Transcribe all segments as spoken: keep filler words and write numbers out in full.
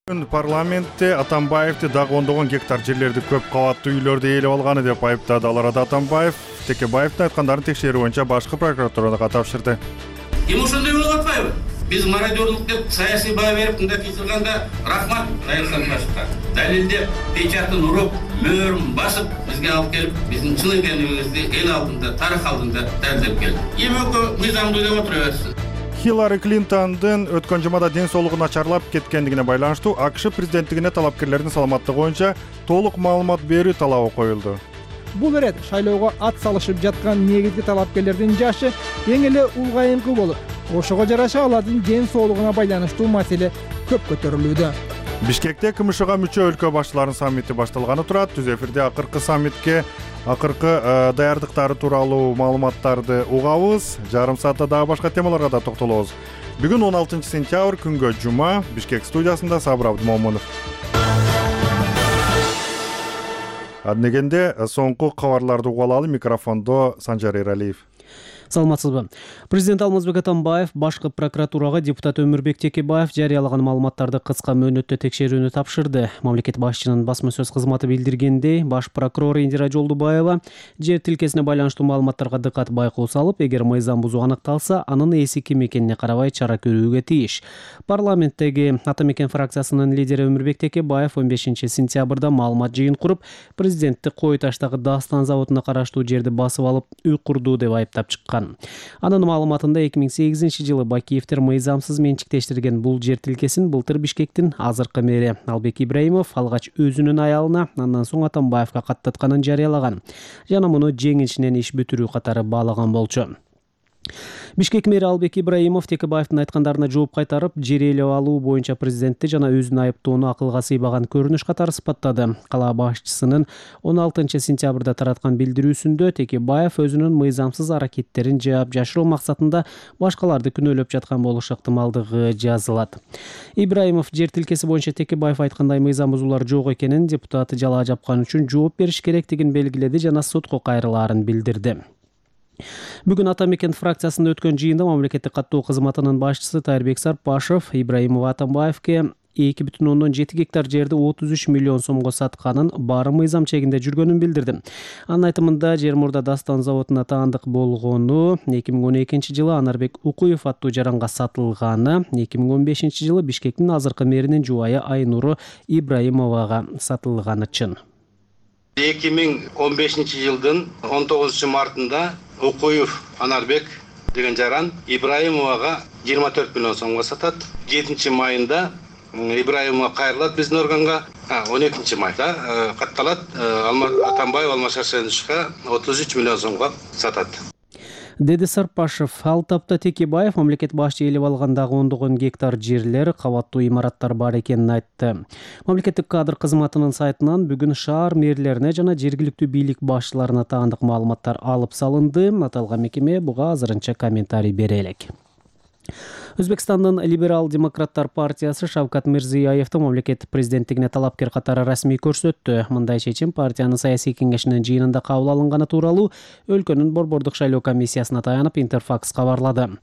Бүгүн парламентте Атамбаевди дагы ондогон гектар жерлерди көп кабаттуу үйлөрдү ээлеп алганы деп айыптады. Ал арада Атамбаев Текебаевдин айткандарын текшерүү боюнча башкы прокуратурага тапшырды. Эми ошондой болуп атпайбы? Биз мародёрлук деп саясий баа берип мындай кыйсырганда рахмат Айылхан башка. Далилдеп, печатын уруп, мөөрүн басып бизге алып келип, биздин чын экенибизди эл алдында, тарых алдында далилдеп келди. Эми экөө мыйзамдуу деп отура берсин. Хиллари Клинтондун өткөн жумада ден соолугу начарлап кеткендигине байланыштуу АКШ президенттигине талапкерлердин саламаттыгы боюнча толук маалымат берүү талабы коюлду. Бул ирет шайлоого ат салышып жаткан негизги талапкерлердин жашы эң эле улгайыңкы болуп, ошого жараша алардын ден соолугуна байланыштуу маселе көп көтөрүлүүдө. Бишкекте КМШга мүчө өлкө башчыларынын саммити башталганы турат. Түз эфирде акыркы саммитке акыркы даярдыктары тууралуу маалыматтарды угабыз. Жарым саатта дагы башка темаларга да токтолобуз. Бүгүн он алтынчы сентябрь күнгө жума. Бишкек студиясында Сабыр Абдымомунов. Аднегенде соңку кабарларды угуп алалы. Микрофондо Санжар Эралиев. Саламатсызбы. Президент Алмазбек Атамбаев башкы прокуратурага депутат Өмүрбек Текебаев жарыялаган маалыматтарды кыска мөөнөттө текшерүүнү тапшырды. Мамлекет башчынын басма сөз кызматы билдиргендей, баш прокурор Индира Жолдубаева жер тилкесине байланыштуу маалыматтарга дыкат байкоо салып, эгер мыйзам бузуу аныкталса, анын ээси ким экенине карабай чара көрүүгө тийиш. Парламенттеги Ата Мекен фракциясынын лидери Өмүрбек Текебаев он бешинчи сентябрда маалымат жыйын куруп, президентти Кой таштагы Дастан заводуна караштуу жерди басып алып, үй курду деп айыптап чыккан. Анын маалыматында эки миң сегизинчи жылы Бакиевдер мыйзамсыз менчиктештирген бул жер тилкесин былтыр Бишкектин азыркы мэри Албек Ибраимов алгач өзүнүн аялына, андан соң Атамбаевга каттатканын жарыялаган жана муну жеңишинен иш бүтүрүү катары баалаган болчу. Бишкек мэри Албек Ибраимов Текебаевдин айткандарына жооп кайтарып, жер ээлеп алуу боюнча президентти жана өзүн айыптоону акылга сыйбаган көрүнүш катары сыпаттады. Кала башчысынын он алтынчы сентябрда тараткан билдирүүсүндө Текебаев өзүнүн мыйзамсыз аракеттерин жаап жашыруу максатында башкаларды күнөөлөп жаткан болушу ыктымалдыгы жазылат. Ибраимов жер тилкеси боюнча Текебаев айткандай мыйзам бузуулар жок экенин, депутаты жалаа жапкан үчүн жооп бериш керектигин белгиледи жана сотко кайрылаарын билдирди. Бүгүн Ата Мекен фракциясында өткөн жыйында мамлекеттик каттоо кызматынын башчысы Тайырбек Сарпашев Ибраимов Атамбаевке эки бүтүн ондон жети гектар жерди отуз үч миллион сомго сатканын, баары мыйзам чегинде жүргөнүн билдирди. Анын айтымында жер мурда Дастан заводуна таандык болгону, эки миң он экинчи жылы Анарбек Укуев аттуу жаранга сатылганы, эки миң он бешинчи жылы Бишкектин азыркы мэринин жубайы Айнуру Ибраимовага сатылганы чын. эки миң он бешинчи жылдын он тогузунчу мартында Укуев Анарбек деген жаран Ибраимовага жыйырма төрт миллион сомго сатат. жетинчи майында Ибраимова кайрылат биздин органга. он экинчи майда катталат. Атамбаев Алмашашевичке отуз үч миллион сомго сатат. Деди Сарпашев. Ал тапта Текебаев мамлекет башчы ээлеп алгандагы ондогон гектар жерлер, кабаттуу имараттар бар экенин айтты. Мамлекеттик кадр кызматынын сайтынан бүгүн шаар мэрлерине жана жергиликтүү бийлик башчыларына таандык маалыматтар алып салынды. Аталган мекеме буга азырынча комментарий бере элек. Өзбекстандын либерал-демократтар партиясы Шавкат Мирзиёевдун мамлекет президенттигине талапкер катары расмий көрсөттү. Мындай чечим партиянын саясий кеңешинин жыйынында кабыл алынганы тууралуу өлкөнүн борбордук шайлоо комиссиясына таянып Интерфакс кабарлады.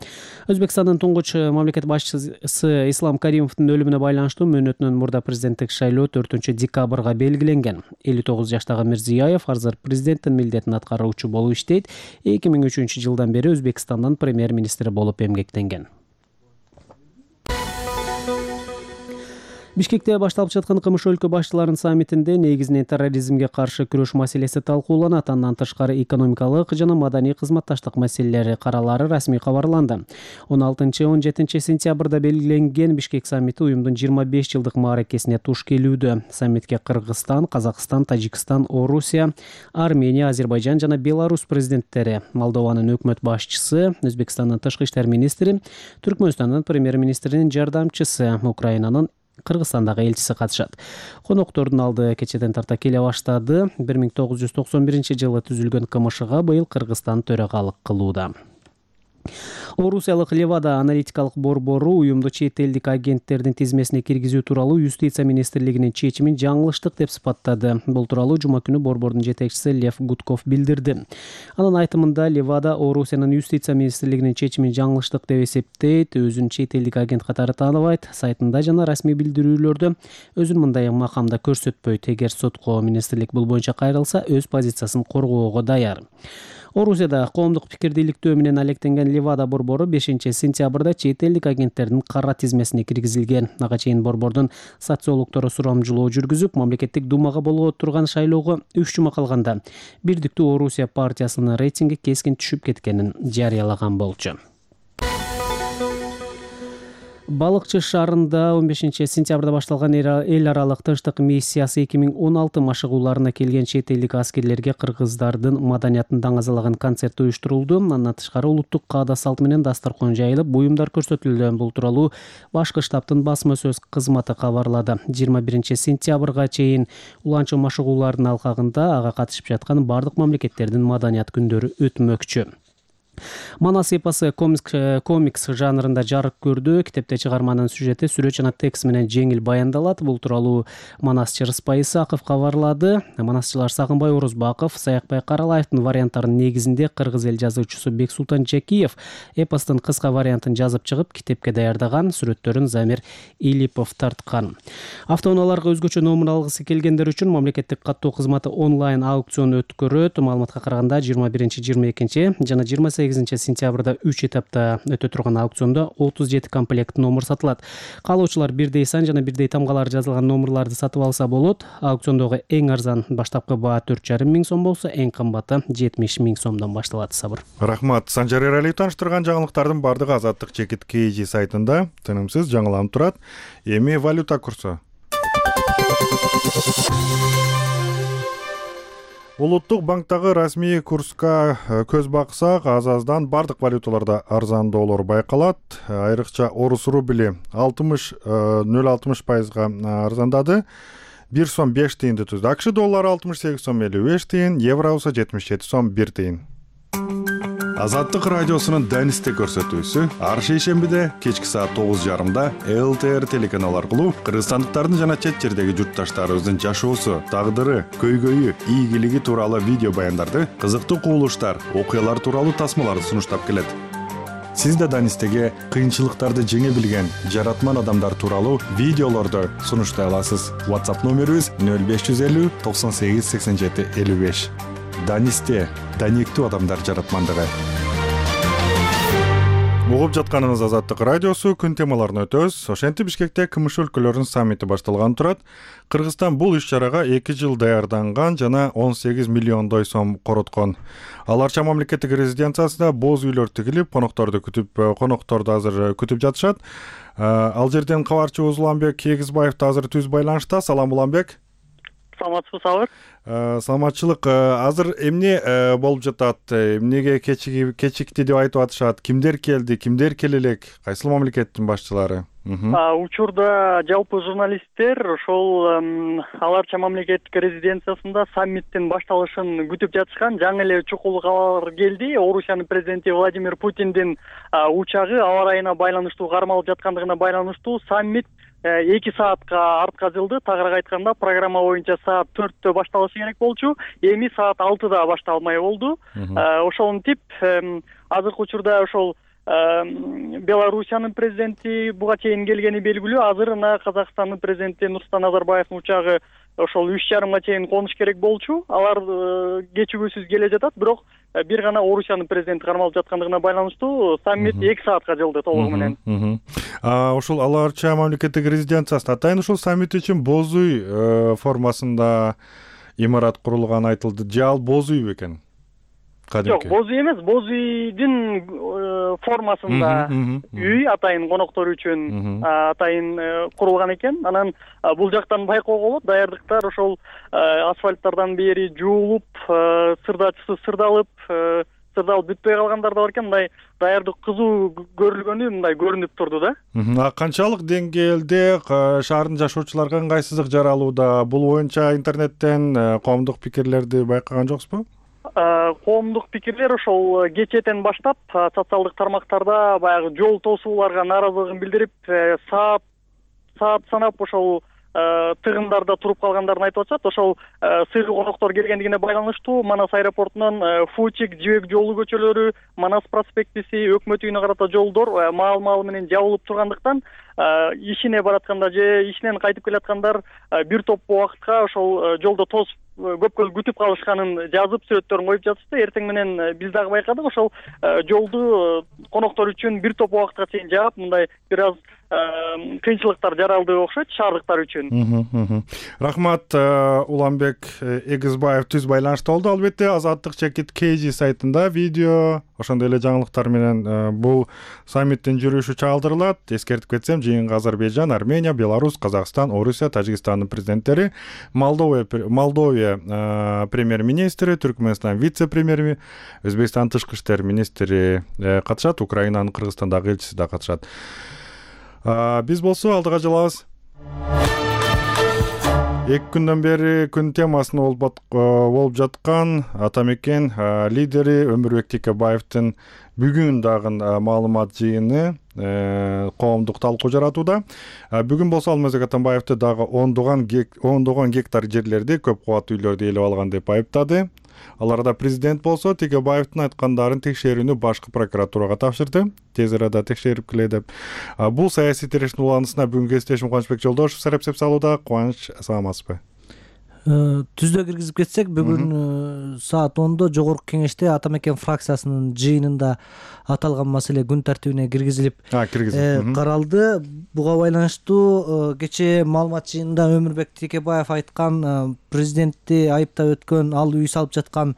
Өзбекстандын туңгуч мамлекет башчысы Ислам Каримовдун өлүмүнө байланыштуу мөөнөтүнүн мурда президенттик шайлоо төртүнчү декабрга белгиленген. элүү тогуз жаштагы Мирзиёев азыр президенттин милдетин аткаруучу болуп иштейт. эки миң үчүнчү жылдан бери Өзбекстандын премьер-министри болуп эмгектенген. Бишкекте башталып жаткан КМШ өлкө башчыларынын саммитинде негизинен терроризмге каршы күрөш маселеси талкууланат. Андан тышкары экономикалык жана маданий кызматташтык маселелери каралары расмий кабарланды. он алтынчы он жетинчи сентябрда белгиленген Бишкек саммити уюмдун жыйырма беш жылдык мааракесине туш келүүдө. Саммитке Кыргызстан, Казакстан, Тажикстан, Орусия, Армения, Азербайжан жана Беларусь президенттери, Молдованын өкмөт башчысы, Өзбекстандын тышкы иштер министри, Түркмөнстандын премьер-министринин жардамчысы, Украинанын Кыргызстандагы элчиси катышат. Коноктордун алды кечеден тарта келе баштады. бир миң тогуз жүз токсон биринчи жылы түзүлгөн КМШга быйыл Кыргызстан төрагалык кылууда. Орусиялык Левада аналитикалык борбору уюмду чет элдик агенттердин тизмесине киргизүү тууралуу Юстиция министрлигинин чечимин жаңылыштык деп сыпаттады. Бул тууралуу жума күнү борбордун жетекчиси Лев Гудков билдирди. Анын айтымында Левада Орусиянын Юстиция министрлигинин чечимин жаңылыштык деп эсептейт, өзүн чет элдик агент катары тааныбайт, сайтында жана расмий билдирүүлөрдө өзүн мындай макамда көрсөтпөйт. Эгер сотко министрлик бул боюнча кайрылса, өз позициясын коргоого даяр. Орусияда коомдук пикирди иликтөө менен алектенген Левада борбору бешинчи сентябрда чет элдик агенттердин кара тизмесине киргизилген. Ага чейин борбордун социологдору сурамжылоо жүргүзүп, мамлекеттик думага болгоно турган шайлоого үч жума калганда Бирдиктүү Орусия партиясынын рейтинги кескин түшүп кеткенин жарыялаган болчу. Балыкчы шаарында он бешинчи сентябрда башталган эл аралык тынчтык миссиясы эки миң он алты машыгууларына келген чет элдик аскерлерге кыргыздардын маданиятын даңазалаган концерт уюштурулду. Андан тышкары улуттук каада салты менен дасторкон жайылып, буюмдар көрсөтүлдү. Бул тууралуу башкы штабтын басма сөз кызматы кабарлады. жыйырма биринчи сентябрга чейин уланчы машыгуулардын алкагында ага катышып жаткан бардык мамлекеттердин маданият күндөрү өтмөкчү. Манас эпосы комикс жанрында жарык көрдү. Китепте чыгарманын сюжети сүрөт жана текст менен жеңил баяндалат. Бул тууралуу манасчы Рыспай Исаков кабарлады. Манасчылар Сагынбай Орозбаков, Саякбай Каралаевдин варианттарынын негизинде кыргыз эл жазуучусу Бексултан Жакиев эпостун кыска вариантын жазып чыгып, китепке даярдаган, сүрөттөрүн Замир Илипов тарткан. Автоунааларга өзгөчө номер алгысы келгендер үчүн мамлекеттик каттоо кызматы онлайн аукцион өткөрөт. Маалыматка караганда жыйырма биринчи жыйырма экинчи жана жыйырма сегизинчи сентябрда үч этапта өтө турган аукциондо отуз жети комплект номер сатылат. Каалоочулар бирдей сан жана бирдей тамгалар жазылган номерларды сатып алса болот. Аукциондогу эң арзан баштапкы баа төрт жарым миң сом болсо, эң кымбаты жетимиш миң сомдон башталат. Сабыр. Рахмат. Санжар Эралиев таныштырган жаңылыктардын бардыгы Азаттык чекит kg сайтында тынымсыз жаңыланып турат. Эми валюта курсу. Улуттук банктагы расмий курска көз баксак, аз-аздан бардык валюталарда арзандоолор байкалат. Айрыкча орус рубли алтымыш нөл алтымыш пайызга арзандады. бир сом беш тыйынды түздү. АКШ доллары алтымыш сегиз сом элүү беш тыйын, евро болсо жетимиш жети сом бир тыйын. Азаттык радиосунун Данисте көрсөтүүсү ар шейшембиде кечки саат тогуз жарымда эл тэ эр телеканалы аркылуу кыргызстандыктардын жана чет жердеги журтташтарыбыздын жашоосу, тагдыры, көйгөйү, ийгилиги тууралуу видео баяндарды, кызыктуу кубулуштар, окуялар тууралуу тасмаларды сунуштап келет. Сиз да Данистеге кыйынчылыктарды жеңе билген жаратман адамдар тууралуу видеолорду сунуштай аласыз. WhatsApp номерибиз нөл беш жүз элүү токсон сегиз сексен жети элүү беш. Данисте даниктүү адамдар жаратмандыгы. Угуп жатканыңыз Азаттык радиосу, күн темаларын өтөбүз. Ошентип Бишкекте КМШ өлкөлөрүнүн саммити башталган турат. Кыргызстан бул иш-чарага эки жыл даярданган жана он сегиз миллиондой сом короткон. Аларча мамлекеттик резиденциясында боз үйлөр тигилип, конокторду күтүп, конокторду азыр күтүп жатышат. Ал жерден кабарчыбыз Уланбек Кегизбаев азыр түз байланышта. Салам Уланбек. Саламатсызбы, Сабыр? Саламатчылык. Азыр эмне болуп жатат? Эмнеге кечикти деп айтып атышат? Кимдер келди, кимдер келе элек? Кайсыл мамлекеттин башчылары? Учурда жалпы журналисттер ошол аларча мамлекеттик резиденциясында саммиттин башталышын күтүп жатышкан. Жаңы эле чукул кабар келди. Орусиянын президенти Владимир Путиндин учагы аба ырайына байланыштуу кармалып жаткандыгына байланыштуу саммит эки саатка артка жылды. Тагыраак айтканда, программа боюнча саат төрттө башталышы керек болчу. Эми саат алтыда башталмай болду. Ошонтип азыркы учурда ошол Белоруссиянын президенти буга чейин келгени белгилүү. Азыр мына Казакстандын президенти Нурсултан Назарбаевдин учагы ошол үч жарымга чейин конуш керек болчу. Алар кечигүүсүз келе жатат, бирок бир гана Орусиянын президенти кармалып жаткандыгына байланыштуу саммит эки саатка жылды толугу менен. Ошол аларча мамлекеттик резиденциясында атайын ушул саммит үчүн боз үй формасында имарат курулганы айтылды. Же ал боз үй бекен? Жок, боз үй эмес, боз үйдүн формасында үй атайын коноктор үчүн атайын курулган экен. Анан бул жактан байкоого болот, даярдыктар ошол асфальттардан бери жуулуп, сырдачысы сырдалып, сырдалып бүтпөй калгандар да бар экен. Мындай даярдык кызуу көрүлгөнү мындай көрүнүп турду да. Канчалык деңгээлде шаардын жашоочуларга ыңгайсыздык жаралууда? Бул боюнча интернеттен коомдук пикирлерди байкаган жоксузбу? коомдук пикирлер ошол кечээден баштап социалдык тармактарда баягы жол тосууларга нааразылыгын билдирип, саат саат санап ошол тыгындарда туруп калгандарын айтып атышат. Ошол сыйгы коноктор келгендигине байланыштуу Манас аэропортунан Фучик, Жибек жолу көчөлөрү, Манас проспектиси, Өкмөт үйүнө карата жолдор маал-маал менен жабылып тургандыктан ишине баратканда же ишинен кайтып келаткандар бир топ убакытка ошол жолдо тосуп көпкө күтүп калышканын жазып, сүрөттөрүн коюп жатышты. Эртең менен биз дагы байкадык, ошол жолду коноктор үчүн бир топ убакытка чейин жаап, мындай бир аз кыйынчылыктар жаралды окшойт шаардыктар үчүн. Рахмат, Уланбек Эгизбаев түз байланышта болду. Албетте Азаттык чекит кей жи сайтында видео, ошондой эле жаңылыктар менен бул саммиттин жүрүшү чагылдырылат. Эскертип кетсем, жыйынга Азербайжан, Армения, Беларусь, Казакстан, Орусия, Тажикстандын президенттери, Молдова Молдовия премьер-министри, Түркмөнстан вице-премьери, Өзбекстан тышкы иштер министри катышат, Украинанын Кыргызстандагы элчиси да катышат. Биз болсо алдыга жылабыз. Эки күндөн бери күн темасына болуп жаткан Атамекен лидери Өмүрбек Текебаевдин бүгүн дагы маалымат жыйыны коомдук талкуу жаратууда. Бүгүн болсо Алмазбек Атамбаевди дагы ондогон ондогон гектар жерлерди көп кубаттуу үйлөрдү ээлеп алган деп айыптады. Аларда президент болсо Текебаевдин айткандарын текшерүүнү башкы прокуратурага тапшырды. Тез арада текшерип келе деп. Бул саясий тирештин уланысына бүгүнкү кесиптешим Кубанычбек Жолдошев сарапсеп салууда. Кубаныч, саламатсызбы? Түздө киргизип кетсек, бүгүн саат ондо Жогорку кеңеште Атамекен фракциясынын жыйынында аталган маселе күн тартибине киргизилип каралды. Буга байланыштуу кечээ маалымат жыйынында Өмүрбек Текебаев айткан, президентти айыптап өткөн, ал үй салып жаткан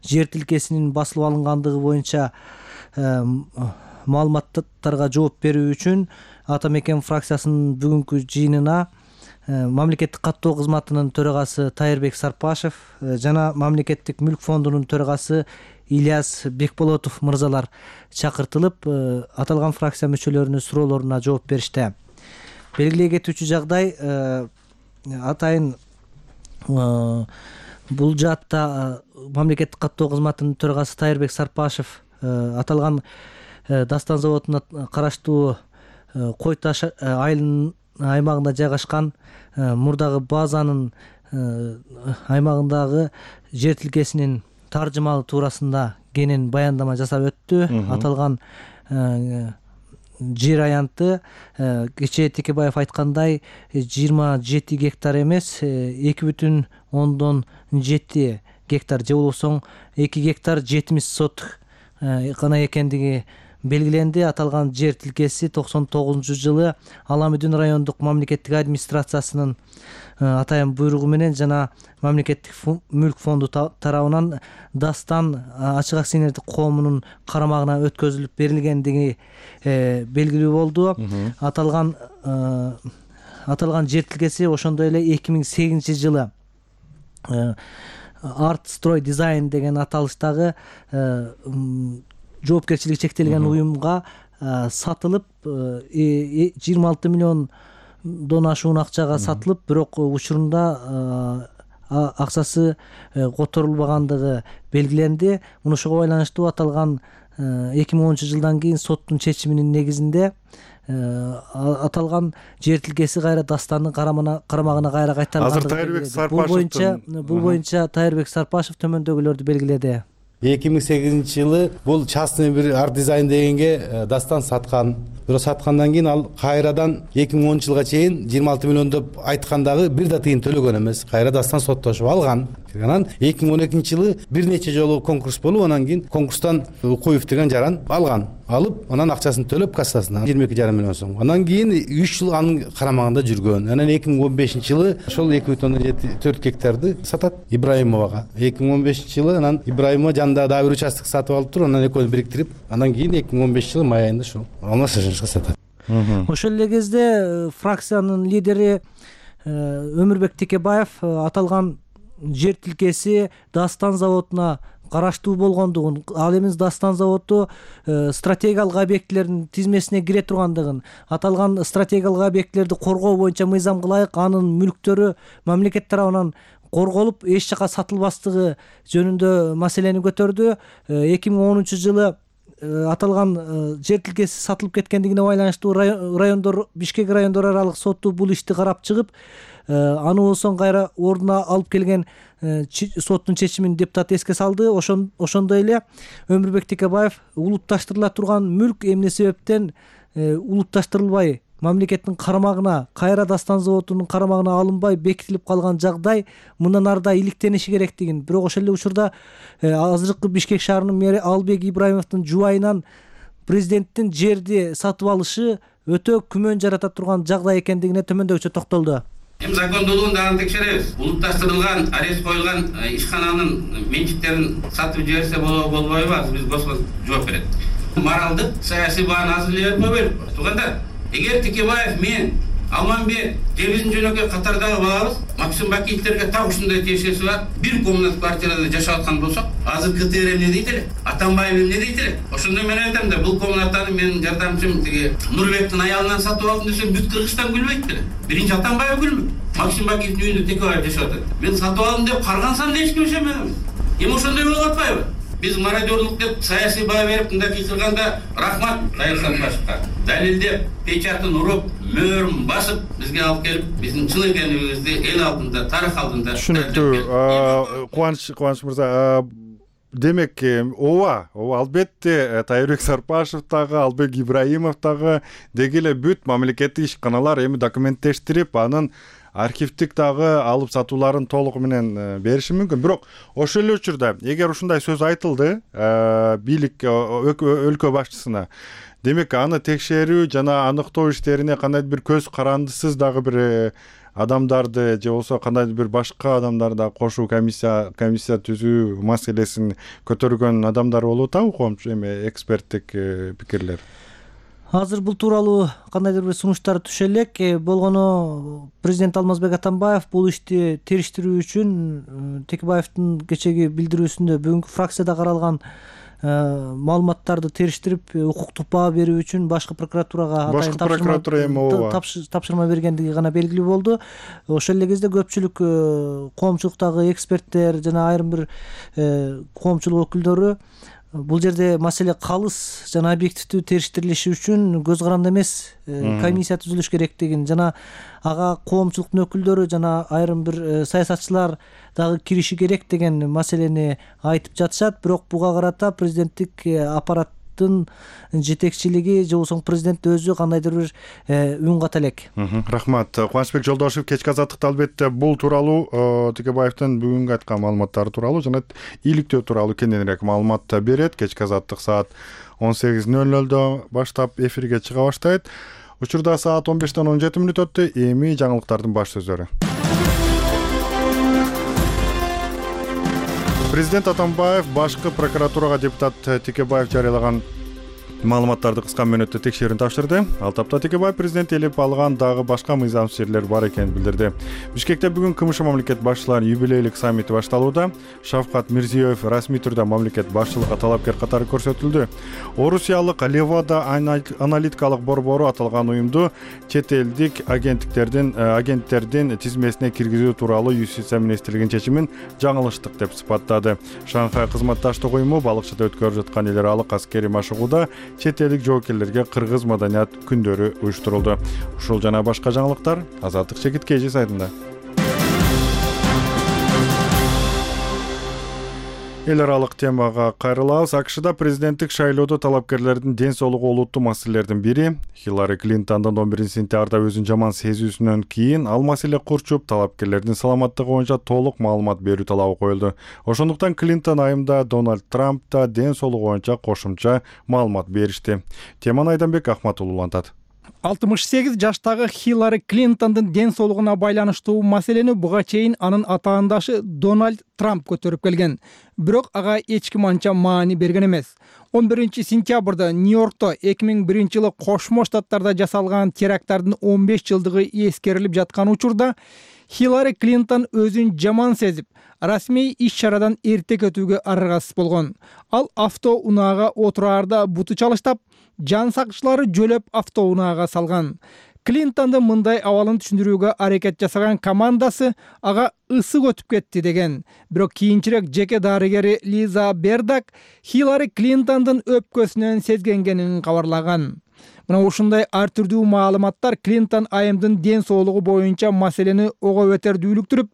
жер тилкесинин басылып алынгандыгы боюнча маалыматтарга жооп берүү үчүн Атамекен фракциясынын бүгүнкү жыйынына Мамлекеттик каттоо кызматынын төрагасы Тайырбек Сарпашев жана Мамлекеттик мүлк фондунун төрагасы Ильяс Бекболотов мырзалар чакыртылып, аталган фракция мүчөлөрүнүн суроолоруна жооп беришти. Белгилей кетүүчү жагдай, атайын бул жаатта Мамлекеттик каттоо кызматынын төрагасы Тайырбек Сарпашев аталган Дастан заводуна караштуу Кой Таш айылынын аймагында жайгашкан мурдагы базанын аймагындагы жер тилкесинин таржымалы туурасында кенен баяндама жасап өттү. Аталган жер аянты кечээ Текебаев айткандай жыйырма жети гектар эмес, эки бүтүн ондон жети гектар же болбосо эки гектар жетимиш соток гана экендиги белгиленди. Аталган жер тилкеси токсон тогузунчу жылы Аламүдүн райондук мамлекеттик администрациясынын атайын буйругу менен жана Мамлекеттик мүлк фонду тарабынан Дастан ачык акционердик коомунун карамагына өткөзүлүп берилгендиги белгилүү болду. Аталган аталган жер тилкеси ошондой эле эки миң сегизинчи жылы Арт Строй Дизайн деген аталыштагы жоопкерчилиги чектелген уюмга сатылып, жыйырма алты миллиондон ашуун акчага сатылып, бирок учурунда акчасы которулбагандыгы белгиленди. Ошого байланыштуу аталган эки миң онунчу жылдан кийин соттун чечиминин негизинде аталган жер тилкеси кайра Дастандын карамагына кайра кайтарылган. Азыр Тайырбек Сарпашев бул боюнча бул боюнча Тайырбек Сарпашев төмөндөгүлөрдү белгиледи. эки миң сегизинчи жылы бул частный бир арт дизайн дегенге Дастан саткан. Бирок саткандан кийин ал кайрадан эки миң онунчу жылга чейин жыйырма алты миллион деп айткандагы бир да тыйын төлөгөн эмес. Кайра Дастан соттошуп алган. Анан эки миң он экинчи жылы бир нече жолу конкурс болуп, анан кийин конкурстан Укуев деген жаран алган. Алып, анан акчасын төлөп кассасына жыйырма эки жарым миллион сом. Анан кийин үч жыл анын карамагында жүргөн. Анан эки миң он бешинчи жылы ошол эки бүтүн ондон жети төрт гектарды сатат Ибраимовага. эки миң он бешинчи жылы анан Ибраимова жанында дагы бир участок сатып алып туруп, анан экөөнү бириктирип, анан кийин эки миң он бешинчи жылы май айында ушул алмашышка сатат. Ошол эле кезде фракциянын лидери Өмүрбек Текебаев аталган жер тилкеси Дастан заводуна караштуу болгондугун, ал эми Дастан заводу стратегиялык объектилердин тизмесине кире тургандыгын, аталган стратегиялык объектилерди коргоо боюнча мыйзамга ылайык анын мүлктөрү мамлекет тарабынан корголуп эч жака сатылбастыгы жөнүндө маселени көтөрдү. эки миң онунчу жылы аталган жер тилкеси сатылып кеткендигине байланыштуу райондор Бишкек райондор аралык соту бул ишти карап чыгып, аны болсо кайра ордуна алып келген соттун чечимин депутат эске салды. Ошондой эле Өмүрбек Текебаев улутташтырыла турган мүлк эмне себептен улутташтырылбай мамлекеттин карамагына, кайра дастан заводунун карамагына алынбай бекитилип калган жагдай мындан ары да иликтениши керектигин, бирок ошол эле учурда азыркы Бишкек шаарынын мэри Албек Ибраимовдун жубайынан президенттин жерди сатып алышы өтө күмөн жарата турган жагдай экендигине төмөндөгүчө токтолду. Эми закондуулугун дагы текшеребиз. Улутташтырылган, арест коюлган ишкананын менчиктерин сатып жиберсе болобу болбойбу, азыр биз Господ жооп берет. Моралдык, саясий бааны азырлап койбойлук. Туугандар, эгер Текебаев, мен, Алманбек же биздин жөнөкөй катардагы балабыз Максим Бакиевтерге так ушундай тиешеси бар бир комнат квартирада жашап аткан болсок, азыр КТР эмне дейт эле, Атамбаев эмне дейт эле. Ошондо мен айтам да, бул комнатаны менин жардамчым тиги Нурбектин аялынан сатып алдым десем, бүт Кыргызстан күлбөйт беле. Биринчи Атамбаев күлмөйт. Максим Бакиевдин үйүндө Текебаев жашап атат. Мен сатып алдым деп каргансам да эч ким ишенбейт. Эми ошондой болуп атпайбы? Биз мародёрлук деп саясий баа берип мындай кыйкырганда рахмат Кайыр Сатпашевга. Далилдеп, печатын уруп, мөөрүн басып бизге алып келип, биздин чын экендигибизди эл алдында, тарых алдында. Түшүнүктүү. Кубаныч, Кубаныч мырза, демек ооба, ооба албетте Тайырбек Сарпашев дагы, Албек Ибраимов дагы деги эле бүт мамлекеттик ишканалар эми документтештирип, анын архивдик дагы алып сатууларын толугу менен бериши мүмкүн. Бирок ошол эле учурда эгер ушундай сөз айтылды бийлик өлкө башчысына, демек аны текшерүү жана аныктоо иштерине кандайдыр бир көз карандысыз дагы бир адамдарды же болбосо кандайдыр бир башка адамдарды кошуу, комиссия комиссия түзүү маселесин көтөргөн адамдар болуп атабы, коомчу эме эксперттик пикирлер? Азыр бул тууралуу кандайдыр бир сунуштар түшө элек. Болгону президент Алмазбек Атамбаев бул ишти териштирүү үчүн Текебаевдин кечеги билдирүүсүндө бүгүнкү фракцияда каралган маалыматтарды териштирип укуктук баа берүү үчүн башкы прокуратурага башкы прокуратура эми ооба тапшырма бергендиги гана белгилүү болду. Ошол эле кезде көпчүлүк коомчулуктагы эксперттер жана айрым бир коомчулук өкүлдөрү бул жерде маселе калыс жана объективдүү териштирилиши үчүн көз каранды эмес комиссия түзүлүш керектигин жана ага коомчулуктун өкүлдөрү жана айрым бир саясатчылар дагы кириши керек деген маселени айтып жатышат. Бирок буга карата президенттик аппараттын жетекчилиги же болбосо президент өзү кандайдыр бир үн ката элек. Рахмат. Кубанычбек Жолдошев кечки азаттыкта албетте бул тууралуу Текебаевдин бүгүнкү айткан маалыматтары тууралуу жана иликтөө тууралуу кененирээк маалымат берет. Кечки азаттык саат он сегиз ноль нолдо баштап эфирге чыга баштайт. Учурда саат он бештен он жети мүнөт өттү. Эми жаңылыктардын баш сөзүрү. Президент Атамбаев башкы прокуратурага депутат Текебаев жарыялаган маалыматтарды кыска мөөнөттө текшерүүнү тапшырды. Ал тапта Текебаев президент элеп алган дагы башка мыйзамсыз жерлер бар экенин билдирди. Бишкекте бүгүн КМШ мамлекет башчыларынын юбилейлик саммити башталууда. Шавкат Мирзиёев расмий түрдө мамлекет башчылыгына талапкер катары көрсөтүлдү. Орусиялык Левада аналитикалык борбору аталган уюмду чет элдик агенттиктердин агенттердин тизмесине киргизүү тууралуу Юстиция министрлигинин чечимин жаңылыштык деп сыпаттады. Шанхай кызматташтык уюму балыкчыда өткөрүлүп жаткан эл аралык аскерий машыгууда чет элдик жоокерлерге кыргыз маданият күндөрү уюштурулду. Ушул жана башка жаңылыктар Азаттык Чекит Кежи сайтында. Эл аралык темага кайрылабыз. АКШда президенттик шайлоодо талапкерлердин ден соолугу олуттуу маселелердин бири. Хиллари Клинтондун он биринчи сентябрда өзүн жаман сезүүсүнөн кийин ал маселе курчуп, талапкерлердин саламаттыгы боюнча толук маалымат берүү талабы коюлду. Ошондуктан Клинтон айымда Дональд Трамп да ден соолугу боюнча кошумча маалымат беришти. Теманы Айданбек Ахматуллу улантат. алтымыш сегиз жаштагы Хиллари Клинтондун ден соолугуна байланыштуу маселени буга чейин анын атаандашы Дональд Трамп көтөрүп келген. Бирок ага эч ким анча маани берген эмес. он биринчи сентябрда Нью-Йоркто эки миң биринчи жылы Кошмо Штаттарда жасалган теракттардын он беш жылдыгы эскерилип жаткан учурда Хиллари Клинтон өзүн жаман сезип, расмий иш-чарадан эрте кетүүгө аргасыз болгон. Ал автоунаага отураарда буту чалыштап, жан сакчылары жөлөп автоунаага салган. Клинтондун мындай абалын түшүндүрүүгө аракет жасаган командасы ага ысык өтүп кетти деген. Бирок кийинчерээк жеке дарыгери Лиза Бердак Хиллари Клинтондун өпкөсүнөн сезгенгенин кабарлаган. Мына ушундай ар түрдүү маалыматтар Клинтон айымдын ден соолугу боюнча маселени ого бетер дүүлүктүрүп,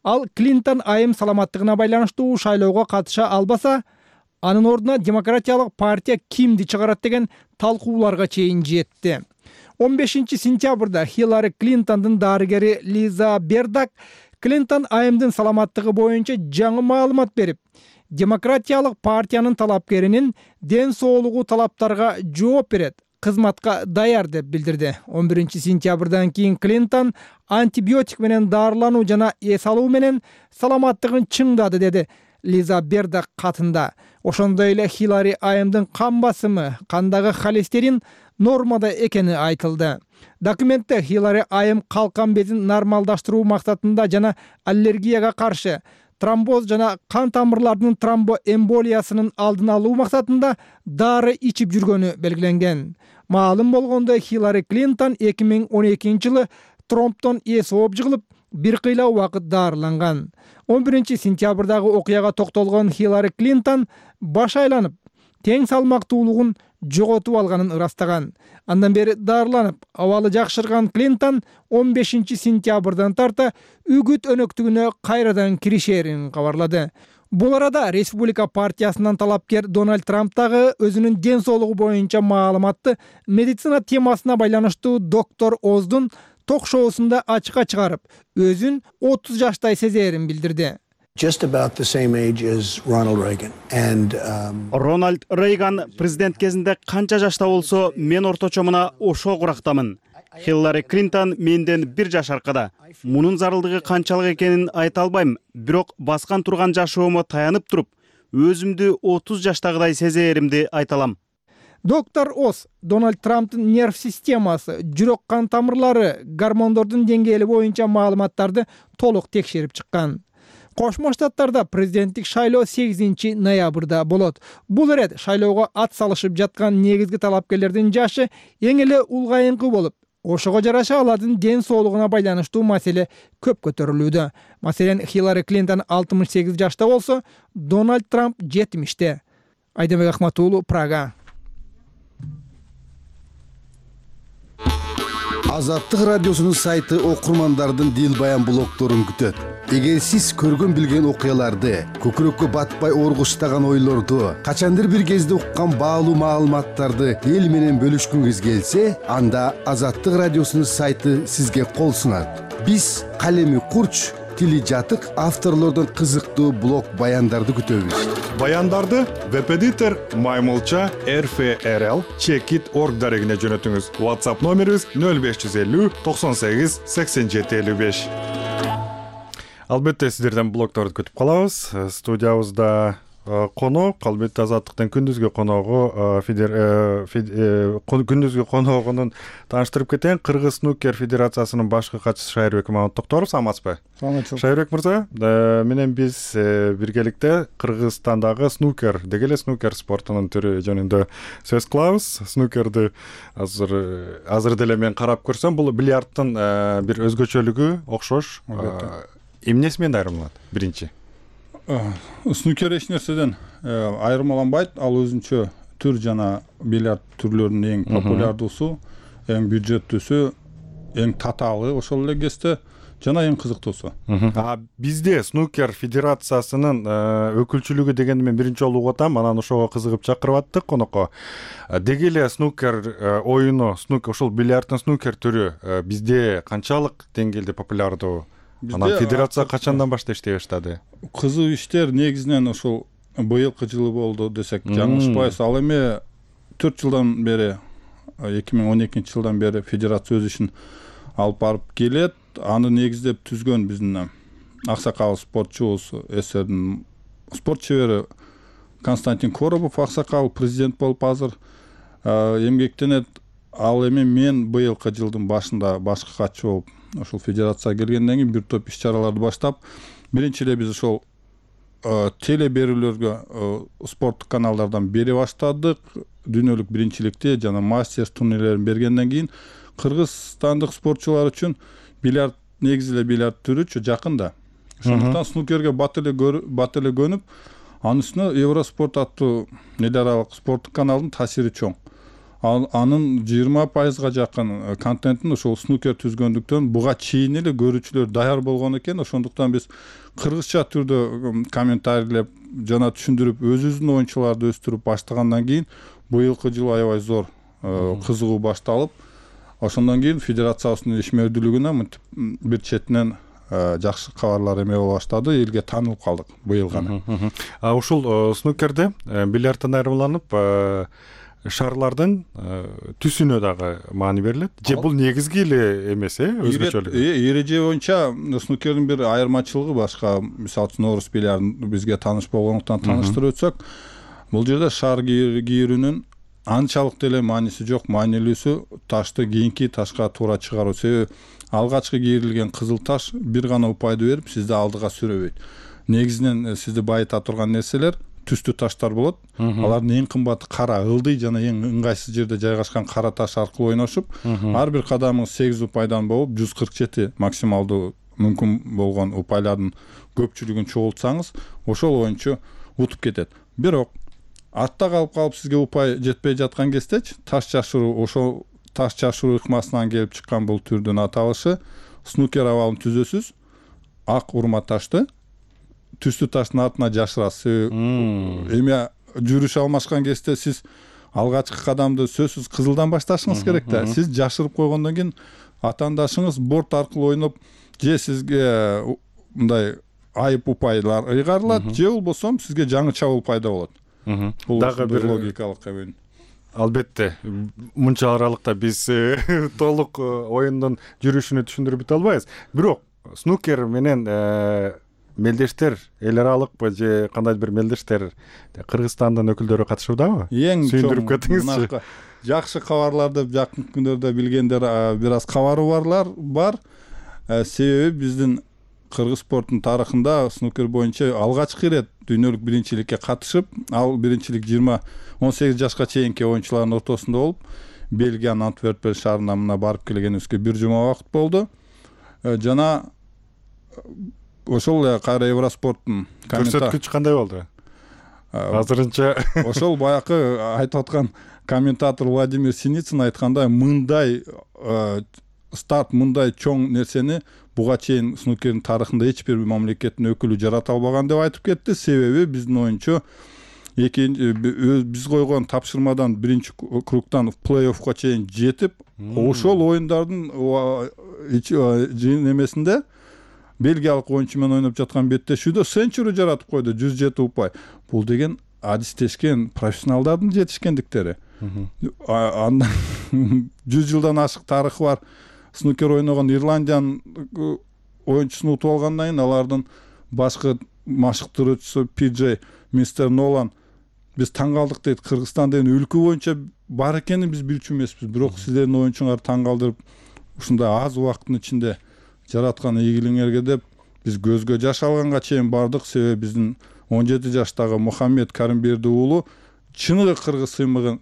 ал Клинтон айым саламаттыгына байланыштуу шайлоого катыша албаса, анын ордуна Демократиялык партия кимди чыгарат деген талкууларга чейин жетти. он бешинчи сентябрда Хиллари Клинтондун дарыгери Лиза Бердак Клинтон айымдын саламаттыгы боюнча жаңы маалымат берип, Демократиялык партиянын талапкеринин ден соолугу талаптарга жооп берет, кызматка даяр деп билдирди. он биринчи сентябрдан кийин Клинтон антибиотик менен дарылануу жана эс алуу менен саламаттыгын чыңдады, деди Лиза Бердак катында. Ошондой эле Хиллари айымдын кан басымы, кандагы холестерин нормада экени айтылды. Документте Хиллари айым калкан безин нормалдаштыруу максатында жана аллергияга каршы, тромбоз жана кан тамырлардын тромбоэмболиясынын алдын алуу максатында дары ичип жүргөнү белгиленген. Маалым болгондой, Хиллари Клинтон эки миң он экинчи жылы тромбтон эс ооп жыгылып, бир кыйла убакыт дарыланган. он биринчи сентябрдагы окуяга токтолгон Хиллари Клинтон баш айланып, тең салмактуулугун жоготуп алганын ырастаган. Андан бери дарыланып, абалы жакшырган Клинтон он бешинчи сентябрдан тарта үгүт өнөктүгүнө кайрадан киришерин кабарлады. Бул арада Республика партиясынан талапкер Дональд Трамп дагы өзүнүн ден соолугу боюнча маалыматты медицина темасына байланыштуу доктор Оздун ток-шоусунда ачыкка чыгарып, өзүн отуз жаштай сезерин билдирди. Just about the same age as Ronald Reagan. And um... Рональд Рейган президент кезинде канча жашта болсо, мен орточо мына ошо курактамын. Хиллари Клинтон менден бир жаш аркада. Мунун зарылдыгы канчалык экенин айта албайм, бирок баскан турган жашоомо таянып туруп, өзүмдү отуз жаштагыдай сезеримди айта алам. Доктор Оз Дональд Трамптын нерв системасы, жүрөк кан тамырлары, гормондордун деңгээли боюнча маалыматтарды толук текшерип чыккан. Кошмо Штаттарда президенттик шайлоо сегизинчи ноябрда болот. Бул ирет шайлоого ат салышып жаткан негизги талапкерлердин жашы эң эле улгайыңкы болуп, ошого жараша алардын ден соолугуна байланыштуу маселе көп көтөрүлүүдө. Маселен, Хиллари Клинтон алтымыш сегиз жашта болсо, Дональд Трамп жетимиште. Айдабек Ахматуулу, Прага. Азаттык радиосунун сайты окурмандардын дил баян блогдорун күтөт. Эгер сиз көргөн билген окуяларды, көкүрөккө батпай ооргуштаган ойлорду, качандыр бир кезде уккан баалуу маалыматтарды эл менен бөлүшкүңүз келсе, анда Азаттык радиосунун сайты сизге кол сунат. Биз калеми курч, тили жатык авторлордон кызыктуу блог баяндарды күтөбүз. Баяндарды веб-эдитор Маймылча эр эф эр эл чекит точка орг дарегине жөнөтүңүз. WhatsApp номерибиз нөл беш жүз элүү токсон сегиз сексен жети элүү беш. Албетте сиздерден блогдорду күтүп калабыз. Студиябызда конок, албетте Азаттыктын күндүзгү коногу күндүзгү коногунун тааныштырып кетейин. Кыргыз снукер федерациясынын башкы катчысы Шайырбек Мамат Токторов, саламатсызбы? Саламатчылык. Шайырбек мырза, менен биз биргеликте Кыргызстандагы снукер, деги эле снукер спортунун түрү жөнүндө сөз кылабыз. Снукерди азыр азыр деле мен карап көрсөм, бул бильярдтын бир өзгөчөлүгү окшош. Эмнеси менен айырмаланат? Биринчи. Снукер эч нерседен айырмаланбайт. Ал өзүнчө түр жана бильярд түрлөрүнүн эң популярдуусу, эң бюджеттүүсү, эң татаалы, ошол эле кезде жана эң кызыктуусу. А бизде снукер федерациясынын өкүлчүлүгү дегенди мен биринчи жолу угуп атам, анан ошого кызыгып чакырып аттык конокко. Деги эле снукер оюну, снукер ошол бильярдтын снукер түрү бизде канчалык деңгээлде популярдуу? Анан федерация качандан баштап иштей баштады? Кызуу иштер негизинен ошол быйылкы жылы болду десек жаңылышпайбыз. Ал эми төрт жылдан бери, эки миң он экинчи жылдан бери федерация өз ишин алып барып келет. Аны негиздеп түзгөн биздин аксакал спортчубуз, СССРдин спорт чебери Константин Коробов аксакал президент болуп азыр эмгектенет. Ал эми мен быйылкы жылдын башында башкы катчы болуп ошол федерацияга келгенден кийин бир топ иш-чараларды баштап, биринчи эле биз ошол теле берүүлөргө спорттук каналдардан бере баштадык. Дүйнөлүк биринчиликти жана мастерс турнирлерин бергенден кийин кыргызстандык спортчулар үчүн бильярд негизи эле бильярд түрүчү жакын да. Ошондуктан снукерге бат эле бат эле көнүп, анын үстүнө Евроспорт аттуу эл аралык спорттук каналдын таасири чоң. Ал анын жыйырма пайызга жакын контентин ошол снукер түзгөндүктөн буга чейин эле көрүүчүлөр даяр болгон экен. Ошондуктан биз кыргызча түрдө комментарийлеп жана түшүндүрүп, өзүбүздүн оюнчуларды өстүрүп баштагандан кийин быйылкы жыл аябай зор кызыгуу башталып, ошондон кийин федерациябыздын ишмердүүлүгүнө мынтип бир четинен жакшы кабарлар эме боло баштады, элге таанылып калдык быйыл гана. А ушул снукерде бильярдтан айырмаланып шарлардын түсүнө дагы маани берилет. Же бул негизги эле эмес, э, өзгөчөлүк? Эреже боюнча снукердин бир айырмачылыгы башка, мисалы үчүн орус бильярдын бизге тааныш болгондуктан тааныштырып өтсөк, бул жерде шар кийирүүнүн анчалык деле мааниси жок. Маанилүүсү ташты кийинки ташка туура чыгаруу. Себеби алгачкы кийрилген кызыл таш бир гана упайды берип, сизди алдыга сүрөбөйт. Негизинен сизди байыта турган нерселер түстүү таштар болот. Алардын эң кымбаты кара, ылдый жана эң ыңгайсыз жерде жайгашкан кара таш аркылуу ойношуп, ар бир кадамыңыз сегиз упайдан болуп, жүз кырк жети максималдуу мүмкүн болгон упайлардын көпчүлүгүн чогултсаңыз, ошол оюнчу утуп кетет. Бирок артта калып калып сизге упай жетпей жаткан кездечи таш жашыруу, ошол таш жашыруу ыкмасынан келип чыккан бул түрдүн аталышы снукер абалын түзөсүз, ак урма ташты түстүү таштын артына жашырасыз. Эме жүрүш алмашкан кезде сиз алгачкы кадамды сөзсүз кызылдан башташыңыз керек да. Сиз жашырып койгондон кийин атаандашыңыз борт аркылуу ойноп, же сизге мындай айып упайлар ыйгарылат, же болбосо сизге жаңыча упайда болот. Бул дагы бир логикалык эме. Албетте, мынча аралыкта биз толук оюндун жүрүшүнү түшүндүрүп өтө албайбыз. Бирок снукер менен мелдештер, эл аралыкпы же кандайдыр бир мелдештер Кыргызстандын өкүлдөрү катышуудабы? Эң сүйүндүрүп кетиңизчи. Жакшы кабарларды жакын күндөрдө билгендер бир аз кабары барлар бар. Себеби биздин кыргыз спорттун тарыхында снукер боюнча алгачкы ирет дүйнөлүк биринчиликке катышып, ал биринчилик жыйырма он сегиз жашка чейинки оюнчулардын ортосунда болуп, Бельгиянын Антверпен шаарына мына барып келгенибизге бир жума убакыт болду. Жана ошол эле кайра Евроспорттун көрсөткүч кандай болду? Азырынча ошол баякы айтып аткан комментатор Владимир Синицын айткандай, мындай старт, мындай чоң нерсени буга чейин снукердин тарыхында эч бир мамлекеттин өкүлү жарата албаган деп айтып кетти. Себеби биздин оюнчу биз койгон тапшырмадан биринчи кругтан плей-оффко чейин жетип, ошол оюндардын немесинде бельгиялык оюнчу менен ойноп жаткан беттешүүдө сенчури жаратып койду, жүз жети упай. Бул деген адистешкен профессионалдардын жетишкендиктери. Андан жүз жылдан ашык тарыхы бар снукер ойногон Ирландиянын оюнчусун утуп алгандан кийин алардын башкы машыктыруучусу Пи Джей мистер Нолан биз таң калдык дейт. Кыргызстан деген өлкө боюнча бар экенин биз билчү эмеспиз. Бирок сиздердин оюнчуңар таң калдырып, ушундай аз убакыттын ичинде жараткан ийгилигиңерге деп биз көзгө жаш алганга чейин бардык. Себеби биздин он жети жаштагы Мухаммед Каримберди уулу чыныгы кыргыз сыймыгы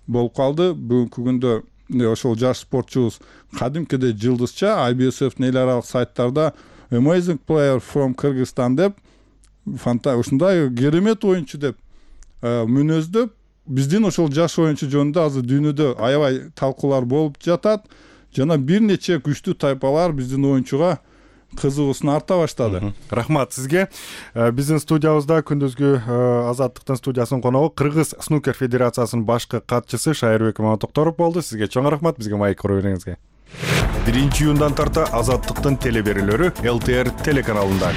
болуп калды. Бүгүнкү күндө ошол жаш спортчубуз кадимкидей жылдызча ай би эс эф эл аралык сайттарда Amazing Player from Kyrgyzstan деп ушундай керемет оюнчу деп мүнөздөп, биздин ошол жаш оюнчу жөнүндө азыр дүйнөдө аябай талкуулар болуп жатат. Жана бир нече күчтүү тайпалар биздин оюнчуга кызыгуусун арта баштады. Рахмат сизге. Биздин студиябызда күндүзгү Азаттыктын студиясынын коногу Кыргыз снукер федерациясынын башкы катчысы Шайырбек Маматокторов болду. Сизге чоң рахмат бизге майк куруп бергениңизге. биринчи июндан тарта Азаттыктын телеберүүлөрү эл ти эр телеканалында.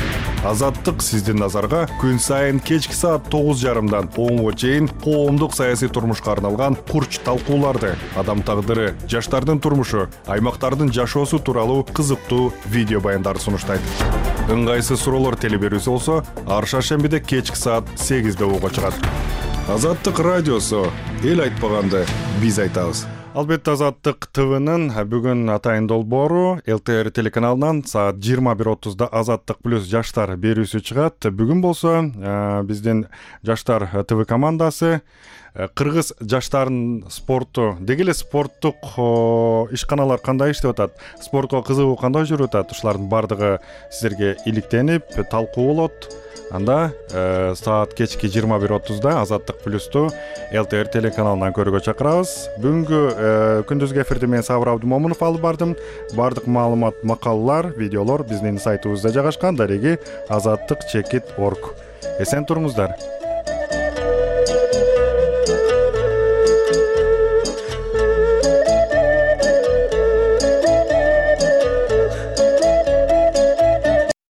Азаттык сиздин назарга күн сайын кечки саат тогуз жарымдан онго чейин коомдук саясий турмушка арналган курч талкууларды, адам тагдыры, жаштардын турмушу, аймактардын жашоосу тууралуу кызыктуу видео баяндарды сунуштайт. Ыңгайсыз суроолор телеберүүсү болсо, ар шаршембиде кечки саат сегизде ого чыгат. Азаттык радиосу эл айтпаганды биз айтабыз. Албетте Азаттык ТВнын бүгүн атайын долбоору эл тэ эр телеканалынан саат жыйырма бир отузда Азаттык плюс жаштар берүүсү чыгат. Бүгүн болсо биздин жаштар ТВ командасы кыргыз жаштарынын спорту, деги эле спорттук ишканалар кандай иштеп атат, спортко кызыгуу кандай жүрүп атат, ушулардын баардыгы сиздерге иликтенип талкуу болот. Анда э, саат кечки жыйырма бир отузда Азаттык плюсту эл тэ эр телеканалынан көрүүгө чакырабыз. Бүгүнкү э, күндүзгү эфирди мен Сабыр Абдымомунов алып бардым. Бардык маалымат, макалалар, видеолор биздин сайтыбызда жайгашкан. Дареги азаттык чекит точка орг. Эсен туруңуздар.